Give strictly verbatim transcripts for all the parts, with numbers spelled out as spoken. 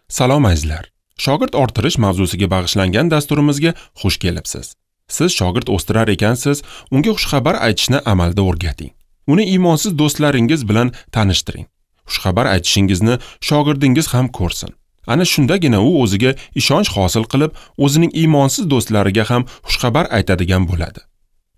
Salom azizlar. Shogird orttirish mavzusiga bag'ishlangan dasturimizga xush kelibsiz. Siz shogird o'stirar ekansiz, unga xushxabar aytishni amalda o'rgating. Uni iymonsiz do'stlaringiz bilan tanishtiring. Xushxabar aytishingizni shogirdingiz ham ko'rsin. Ana shundagina u o'ziga ishonch hosil qilib, o'zining iymonsiz do'stlariga ham xushxabar aytadigan bo'ladi.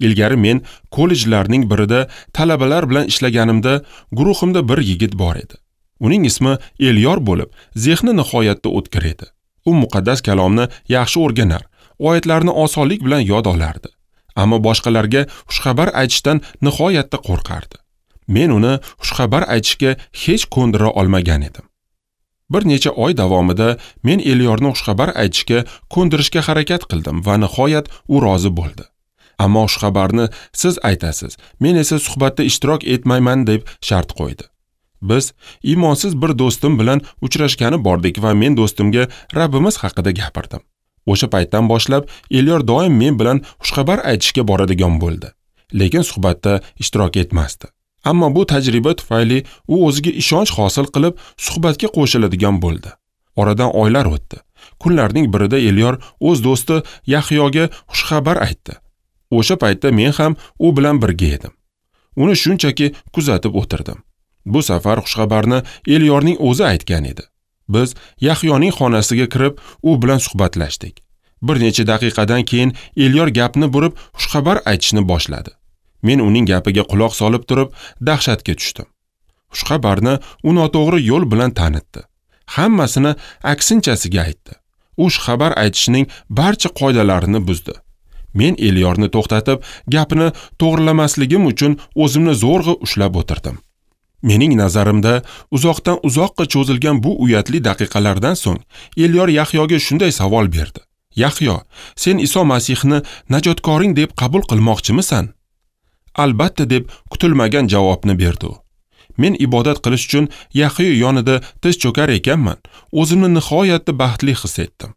Ilgari men kollejlarning birida talabalar bilan ishlaganimda guruhimda bir yigit bor edi. Uning ismi Elyor bo'lib, zehni nihoyatda o'tkir edi. U muqaddas kalomni yaxshi o'rganar, oyatlarni osonlik bilan yod olardi. Ammo boshqalarga xushxabar aytishdan nihoyatda qo'rqardi. Men uni xushxabar aytishga hech ko'ndira olmagan edim. Bir necha oy davomida men Elyorni xushxabar aytishga ko'ndirishga harakat qildim va nihoyat u rozi bo'ldi. Ammo xushxabarni siz aytasiz, men esa suhbatda ishtirok etmayman deb shart qo'ydi. Biz iymonsiz bir do'stim bilan uchrashgani bordik va men do'stimga Rabbimiz haqida gapirdim. O'sha paytdan boshlab Elyor doim men bilan xushxabar aytishga boradigan bo'ldi, lekin suhbatda ishtirok etmasdi. Ammo bu tajriba tufayli u o'ziga ishonch hosil qilib, suhbatga qo'shiladigan bo'ldi. Oradan oylar o'tdi. Kunlarning birida Elyor o'z do'sti Yahyoga xushxabar aytdi. O'sha paytda men ham u bilan birga edim. Uni shunchaki kuzatib o'tirdim. Bu safar xushxabarni Elyorning o'zi aytgan edi. Biz Yahyoning xonasiga kirib, u bilan suhbatlashdik. Bir necha daqiqadan keyin Elyor gapni burib, xushxabar aytishni boshladi. Men uning gapiga quloq solib turib, dahshatga tushdim. Xushxabarni u noto'g'ri yo'l bilan tanitdi. Hammasini aksinchasiga aytdi. U xushxabar aytishning barcha qoidalarini buzdi. Men Elyorni to'xtatib, gapini to'g'rilamasligim uchun o'zimni zo'rg'a ushlab o'tirdim. Mening nazarimda uzoqdan uzoqqa cho'zilgan bu uyatli daqiqalardan so'ng Elyor Yahyoga shunday savol berdi. Yahyo, sen Iso Masihni najotkoring deb qabul qilmoqchimisan? Albatta deb kutilmagan javobni berdi u. Men ibodat qilish uchun Yahyo yonida tiz cho'kar ekanman, o'zimni nihoyatda baxtli his etdim.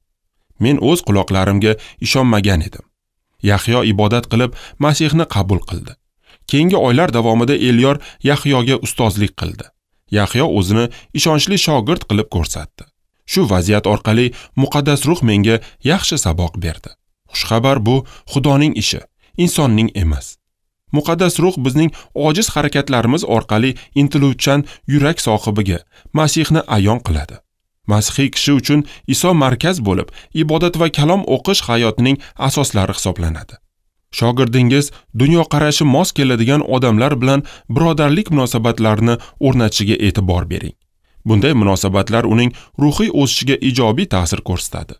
Men o'z quloqlarimga ishonmagan edim. Yahyo ibodat qilib Masihni qabul qildi. Keyingi oylar davomida Elyor Yahyoga ustozlik qildi. Yahyo o'zini ishonchli shogird qilib ko'rsatdi. Shu vaziyat orqali muqaddas ruh menga yaxshi saboq berdi. Xushxabar bu Xudoning ishi, insonning emas. Muqaddas ruh bizning ojiz harakatlarimiz orqali intiluvchan yurak sohibiga Masihni ayon qiladi. Masihiy kishi uchun Iso markaz bo'lib, ibodat va kalom o'qish hayotining asoslari hisoblanadi. Shogirdingiz dunyoqarashi mos keladigan odamlar bilan birodarlik munosabatlarini o'rnatishiga e'tibor bering. Bunday munosabatlar uning ruhiy o'sishiga ijobiy ta'sir ko'rsatadi.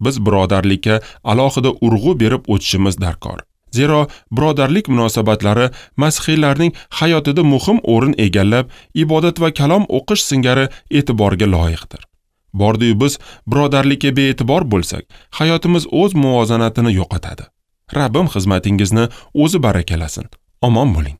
Biz birodarlikka alohida urg'u berib o'tishimiz darkor. Zero birodarlik munosabatlari masihiylarning hayotida muhim o'rin egallab, ibodat va kalom o'qish singari e'tiborga loyiqdir. Bordiyu biz birodarlikka bee'tibor bo'lsak, hayotimiz o'z muvozanatini yo'qotadi. Rabbim xizmatingizni o'zi barakalasin. Omon bo'ling.